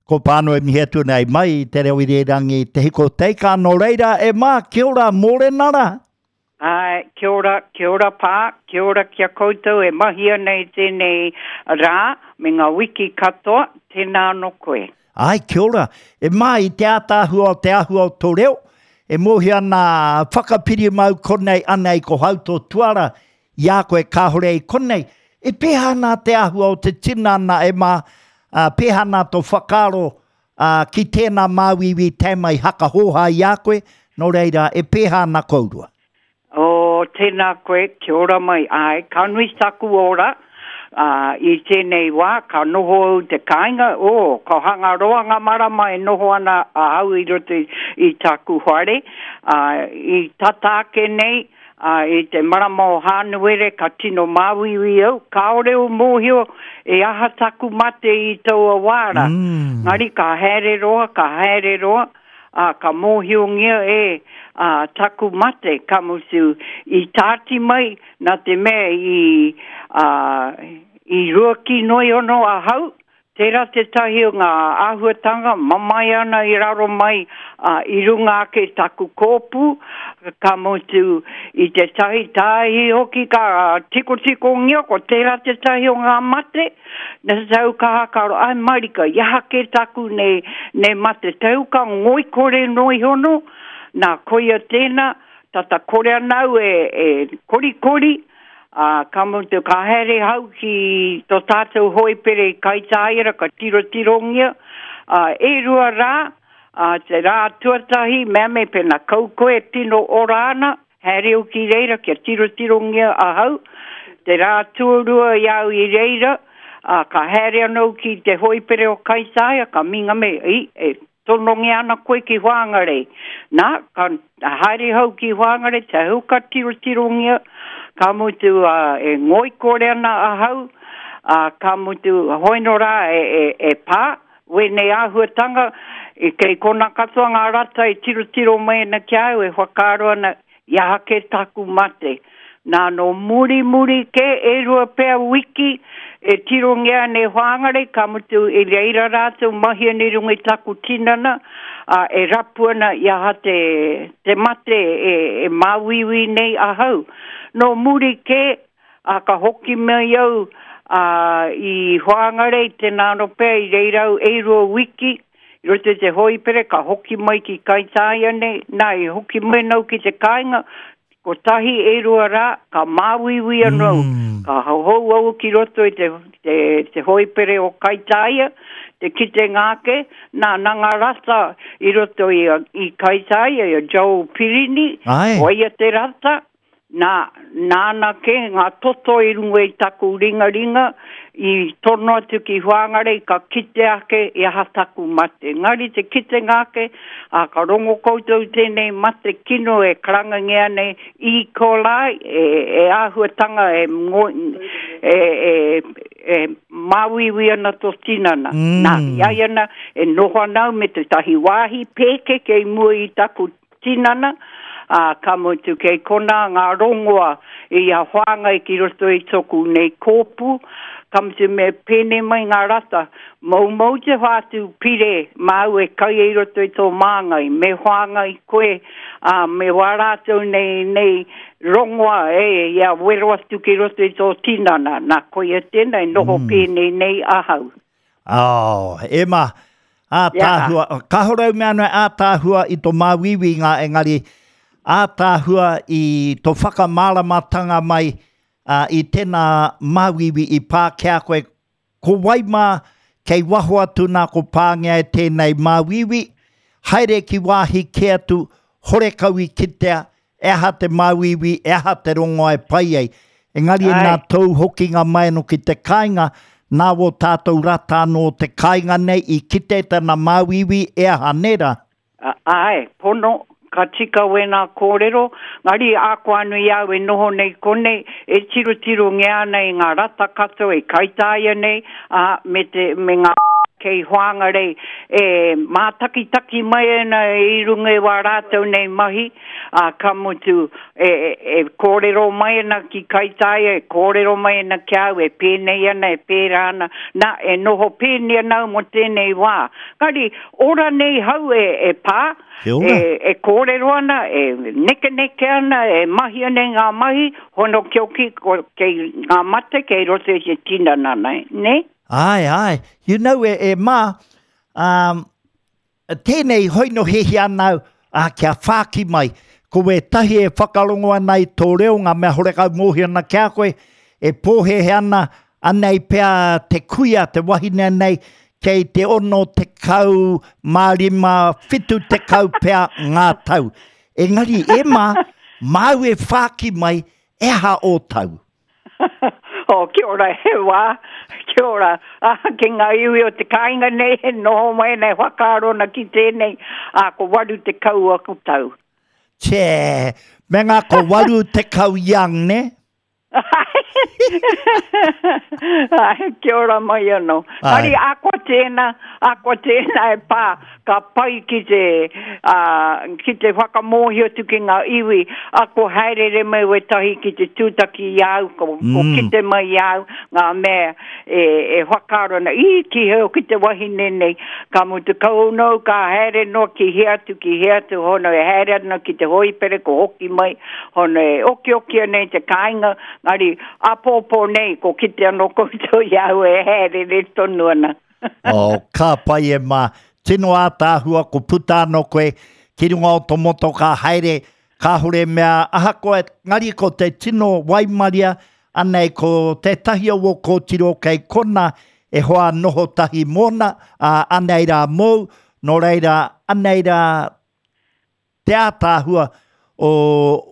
Ko Pāno e mihi atu nei mai i te reo irirangi Te Hiko Teika, nō reira e mā, kia ora, mōrena rā. Āe, kia ora, kia ora Pā, kia ora ki a koutou e mahi ana i tēnei rā me ngā wiki katoa, tēnā anō koe. Āe, kia ora. E mā, i te ātaahua o te āhua o tō reo, e mōhio ana whakapiri mau konei anei ko hau tō tuara i a koe kāore i konei, e pēhea ana te āhua o te tinana e mā, ā, pēhea ana tō whakaaro, ā, ki tēnā māuiui tae mai hakahōhā i a koe, nō reira, e pēhea ana kourua? Oh, tēnā koe, kia ora mai, āe, ka nui taku ora, ā, i tēnei wā, ka noho au te kāinga, oh, ka hanga roa ngā marama e noho ana ahau i roto i, i tāku whare, ā, i tata ake nei, Ā, i te marama o Hānuere ka tino māuiui au, kāore au mōhio e aha taku mate i taua wā rā. Engari ka haere roa, ka haere roa, ā, ka mōhiongia e, ā, taku mate, ka mutu, i tāti mai, nā te mea i, ā, i ruaki noa iho ahau, Tērā tētahi o ngā āhuatanga mamae ana i raro mai, ā, i runga ake i taku kōpū, ka mutu i tētahi tāihi hoki ka tikotikongia, ko tērā tētahi o ngā mate, nā te tau ka hākaro, āe marika, i aha kē taku nei, nei mate, tau ka ngoikore noa iho nō, nā, koia tēnā, tata kore ana au e, e korikori, Ā, ka mutu, ka haere hau ki tō tātou hoipere i Kaitāia, ka tirotirongia, ā, e rua rā, ā, te rā tuatahi, mea me pēnā kau koe e tino ora ana, haere au ki reira kia tirotirongia ahau, te rā tuarua i a au i reira, ā, ka haere anō ki te hoipere o Kaitāia, ka minga me, i, e Tonongia ana koe ki Whangarei. Na, ka haere hau ki Whangarei, te hau ka tirotirongia, ka mutu e ngoikore ana ahau, a, ka mutu hoino rā e, e, e pā, wēnei āhuatanga, i kei kona katoa ngā rata e tirotiro mai ana ki a au, e whakaaro ana, I aha kē tāku mate? Nā, nō murimuri kē, e rua pea wiki, e tirongia ana e Whāngarei, ka mutu i reira rātou mahi ana i runga i taku tinana, ā, e rapu ana i aha te, te mate e, e māuiui nei ahau. Nō muri kē, ā, ka hoki mai au, ā, i Whāngarei, tēnā anō pea i reira au e rua wiki, I roto i te hōipere ka hoki mai ki Kaitāia nei, nā i hoki mai nau ki te kāinga, kotahi e rua rā, ka māuiui anō au, ka hou au ki roto i te, te, te hōipere o Kaitāia, te kitenga ake, nā, nā ngā rata i roto i, i Kaitāia, i a Joel Pirini, ko ia te rata, Nā, nāna kē ngā toto i runga i taku ringaringa i tono atu ki Whāngarei ka kite ake i aha taku mate. Engari te kitenga ake, ā, ka rongo koutou i tēnei mate kino e karangangia nei E. coli, e, e āhuatanga e, e, e, e māuiui ana tō tinana. Mm. Nā, i a ia ana, e noho ana au me tētahi wāhi pēke kei mua i taku tinana, ā, ka mutu kei konā ngā rongoa i a whāngai ki roto i toku nei kōpū, ka mutu me pēnei mai ngā rata, moumou te whātū pire māu e kai i roto i tō māngai, me whāngai koe, ā, me wā rātou nei, nei rongoa e, ia wero atu ki roto i tō tinana, nā koia tēnā e noho pēnei nei ahau. Oh, e ma, ātaahua, yeah. kāore au mea anō ātaahua i tō māuiuinga, engari ātaahua i tō whakamāramatanga mai uh, i tēnā māuiui i pā ki a koe. Ko wai mā kei waho atu nā ko pāngia e tēnei māuiui, haere ki wāhi kē atu, horekau i kitea, E aha te māuiui, e aha te rongoa e pai ai. Engari e nā tōu hokinga mai anō ki te kāinga, nā wō tātou rata anō o te kāinga nei i kite tana māuiui, e aha, nē rā? Āe, pono, ka tika wēnā kōrero, ngari ākoanu i a au e noho nei konei, e tirotirongia ana i ngā rata katoa e kaitāia nei, ā, me te, me ngā. Kei Whangarei e mātakitaki mai ana i runga i wā rātou nei mahi, ā, ka mutu, e, e kōrero mai ana ki Kaitaia, e kōrero mai ana ki a au, e pēnei ana, e pērā ana, nā, e noho pēnei ana au mō tēnei wā. Engari, ora nei hau e, e pā, e, e kōrero ana, e nekeneke ana, e mahi ana i ngā mahi, hono kioki, ko, kei ngā mate, kei roto i te tinana nei, nē? Āe, āe. You know, e, e mā, um, tēnei hoi no hiahia ana au, ā, kia whāki mai. Ko wētahi e whakarongo ana i tō reo, ngā mea horekau mōhio ana ki a koe, e pōhēhē ana, anei pea te kuia, te wahine nei, kei te 65, 70 pea ngā tau. Engari, e mā, māu e whāki mai, e aha ō tau? Oh, kia ora he wā, kia ora. Ah, ki ngā iwi o te kāinga nei e noho mai nei whakaaro ana ki tēnei, ah, ko 80 aku tau. Tē, me ngā ko 80 young, ne? Ai, kia ora mai anō. Ai. Ari, akoa tēnā, akoa tēnā e pā, ka pai ki te, ā, ki te whakamōhio atu ki ngā iwi, ā, ko haereere mai wētahi ki te tūtaki i a au, ko, ko kite mai i a au ngā mea e, e whakaaro ana, ī, ki hea hoki te wahine nei, ka mutu kau nou, ka haere noa ki hea atu, ki hea atu, hono e haere ana ki te hōipere, ko hoki mai, hono e okioki ana i te kāinga, engari, āpōpō nei, ko kite anō koutou i a au e haereere tonu ana. Oh, ka pai e mā. Tino ātaahua, ko puta anō koe ki runga o tō motokā haere, kāore mea ahakoa, engari ko te tino waimaria, anei ko tētahi o wō kōtiro kei kona e hoa noho tahi mōna, ā, anei rā mōu, nō reira, anei rā Te ātaahua o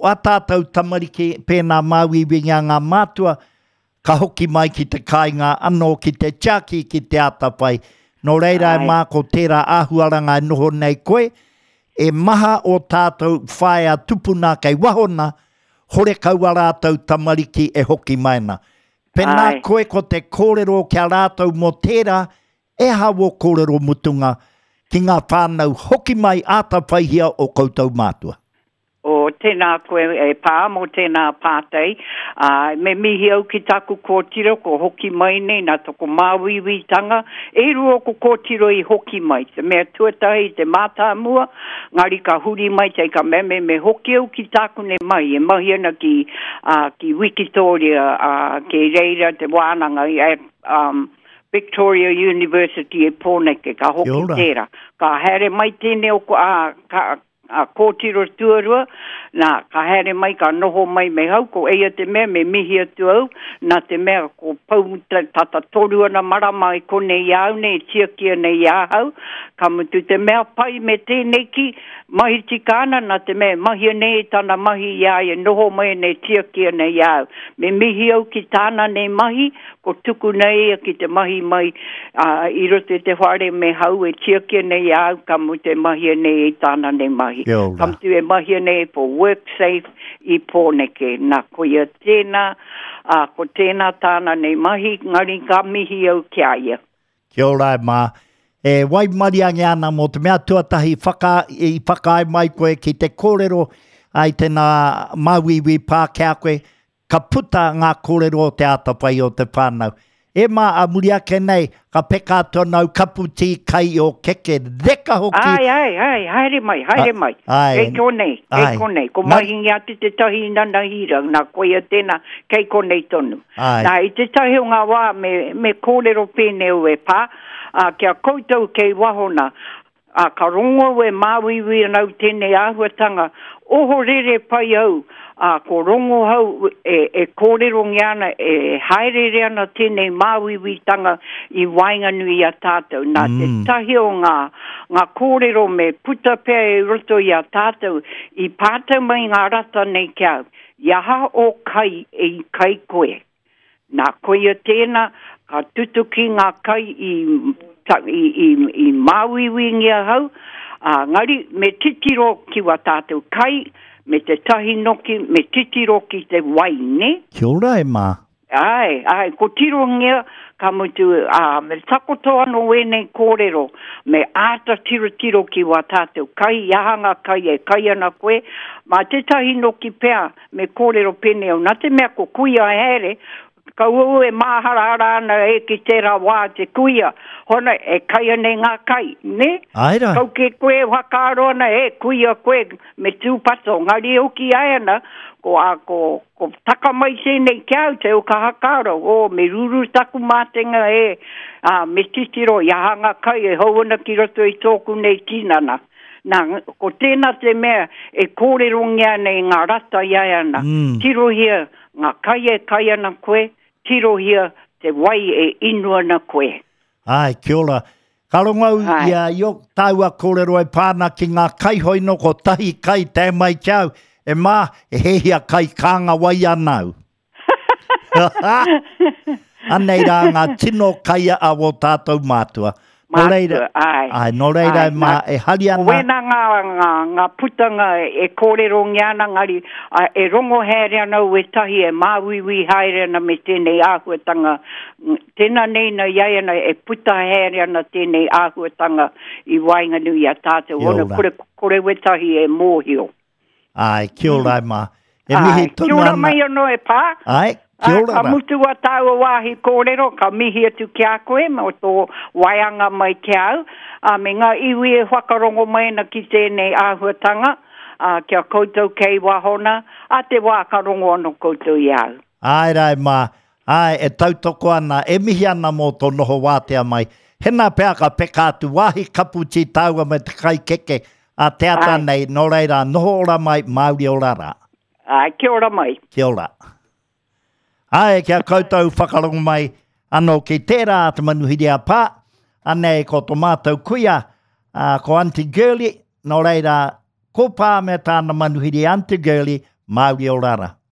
ā tātou tamariki, pēnā māuiuingia ngā mātua, ka hoki mai ki te kāinga anō ki te tiaki, ki te atawhai. Nō reira e mā ko tērā āhuaranga e noho nei koe, e maha ō tātou whaea tupuna kei waho na, horekau a rātou tamariki e hoki mai ana. Pēnā koe ko te kōrero ki a rātou mō tērā, E aha wō kōrero mutunga ki ngā whānau hoki mai āta whaihia o koutou mātua? O, tēnā koe e pā mō tēnā pātai. Ā, me mihi au ki tāku kōtiro ko hoki mai nei nā toko māuiuitanga. E rua ōku kōtiro i hoki mai. Te mea tuatahi te mātāmua, ngari ka huri mai te ka mea me me hoki au ki tāku nei mahi e mahi ana ki, ā, ki Wikitōria, ā, kei reira te wānanga i, um, Victoria University e Pōneke, ka hoki tērā. Ka haere mai tēnei o, a, ka, a kōtiro tuarua, nā, ka haere mai, ka noho mai me hau, ko eia te mea, me mihi atu au, nā te mea, ko pau tata toru ana marama i konei i a au nei, e tiaki ana i ahau, ka mutu te mea pai me tēnei ki, mahi tika ana, nā te mea, e mahia nei e tana mahi i a ia, noho mai ana e tiaki ana i a au. Me mihi au ki tāna nei mahi, Ko tukuna ia ki te mahi mai, ā, i roto i te whare me hau e tiaki ana i a au, ka mutu e mahia nei i tāna nei mahi. Kia ora. Ka mutu e mahia nei for WorkSafe i Pōneke. Nā, koia tēnā, ā, ko tēnā tāna nei mahi, engari ka mihi au ki a ia. Kia ora e mā. E waimariangia ana mō te mea tuatahi whaka, i whakaae mai koe ki te kōrero ai tēnā māuiui pā ki a koe, Ka puta ngā kōrero o te atawhai o te whānau. E mā, a muri ake nei, ka peka atu ana au kapu tī kai i o keke reka hoki. Āe, āe, āe, haere mai, haere mai. Āe. Kei konei, kei konei. Ko Mahingi atu tētahi nana hira, nā, koia tēnā, kei konei tonu. Āe. Nā, i tētahi o ngā wā me, me kōrero pēnei au e pā, ā, ki a koutou kei waho nā, Ā, ka rongo au e māuiui ana au tēnei āhuatanga, ohorere pai au, ā, ko rongohau e, e kōrerongia ana, e hāereere ana tēnei māuiuitanga i waenganui i a tātou. Nā te tahi o ngā, ngā kōrero me puta pea i roto i a tātou, i pātai mai ngā rata nei ki a au, I aha ō kai i kai koe? Nā, koia tēnā, ka tutuki ngā kai i, i, i, i māuiuingia ahau, ā, ngari, me titiro ki wā tātou kai, me te tahi noki, me titiro ki te wai, nē? Kia ora e mā. Āe, āe, ko tirongia, ka mutu, ā, me takoto anō ēnei kōrero, me āta tirotiro ki wā tātou kai, i aha ngā kai e kai ana koe, mā tētahi noki pea, me kōrero pēnei au, nā te mea ko kuia haere, kaua au e māharahara ana e ki tērā wā te kuia, hona, e kai ana i ngā kai, nē? Āe rā. Kau kē koe e whakaaro ana, e kuia koe, me tūpato, engari e hoki ai ana, ko, ā, ko, Ko taka mai tēnei ki a au te au ka hakaaro, oh, me ruru taku mātenga e, ā, me titiro i aha ngā kai e hou ana ki roto i tōku nei tinana. Nā, ko tēnā te mea e kōrerongia ana e ngā rata i a ana, mm. tirohia ngā kai e kai ana koe, tirohia te wai e inu ana koe. Āe, kia ora. Ka rongo au i a i o tāua kōrero e pā ana ki ngā kai hoi nō kotahi kai tae mai ki au, e mā, e hehia kai kānga wai ana au. Anei rā ngā tino kai a wō tātou mātua. Nō reira, āe. Āe, nō reira e mā, e hari ana. Ko wēnā ngā, ngā, ngā putanga e kōrerongia ana, ngari, e rongo haere ana au wētahi e māuiui haere ana me tēnei āhuatanga Tēnā nei na iaiana e puta haere ana tēnei āhuatanga i waenganui i a tātou, Kia ona ora. kore, kore wetahi e mōhio. Āe, kia ora e mā. E mihi Āe, tonu kia ora ana. mai anō e pā. Āe, kia Āe, ora ka rā. mutu a tāua wāhi kōrero, ka mihi atu ki a koe mō tō waeanga mai ki a au, ā, me ngā iwi e whakarongo mai ana ki tēnei āhuatanga, ā, ki a koutou kei wahona, ā te wā ka rongo anō koutou i a au. Āe rā e mā, Āe, e tautoko ana, e mihi ana mō tō noho wātea mai. Hena pea ka peka atu wāhi kaputi tāua me te kai keke a te ata Āe. nei, nō reira, noho ora mai, Māori ora rā. Āe, kia ora mai. Kia ora. Āe, kia koutou whakarongo mai anō ki tērā te manuhiri a Pā, anei ko tō mātou kuia, ā, ko Aunty Girlie, nō reira, ko Pā me tāna manuhiri Aunty Girlie, Māori ora rā.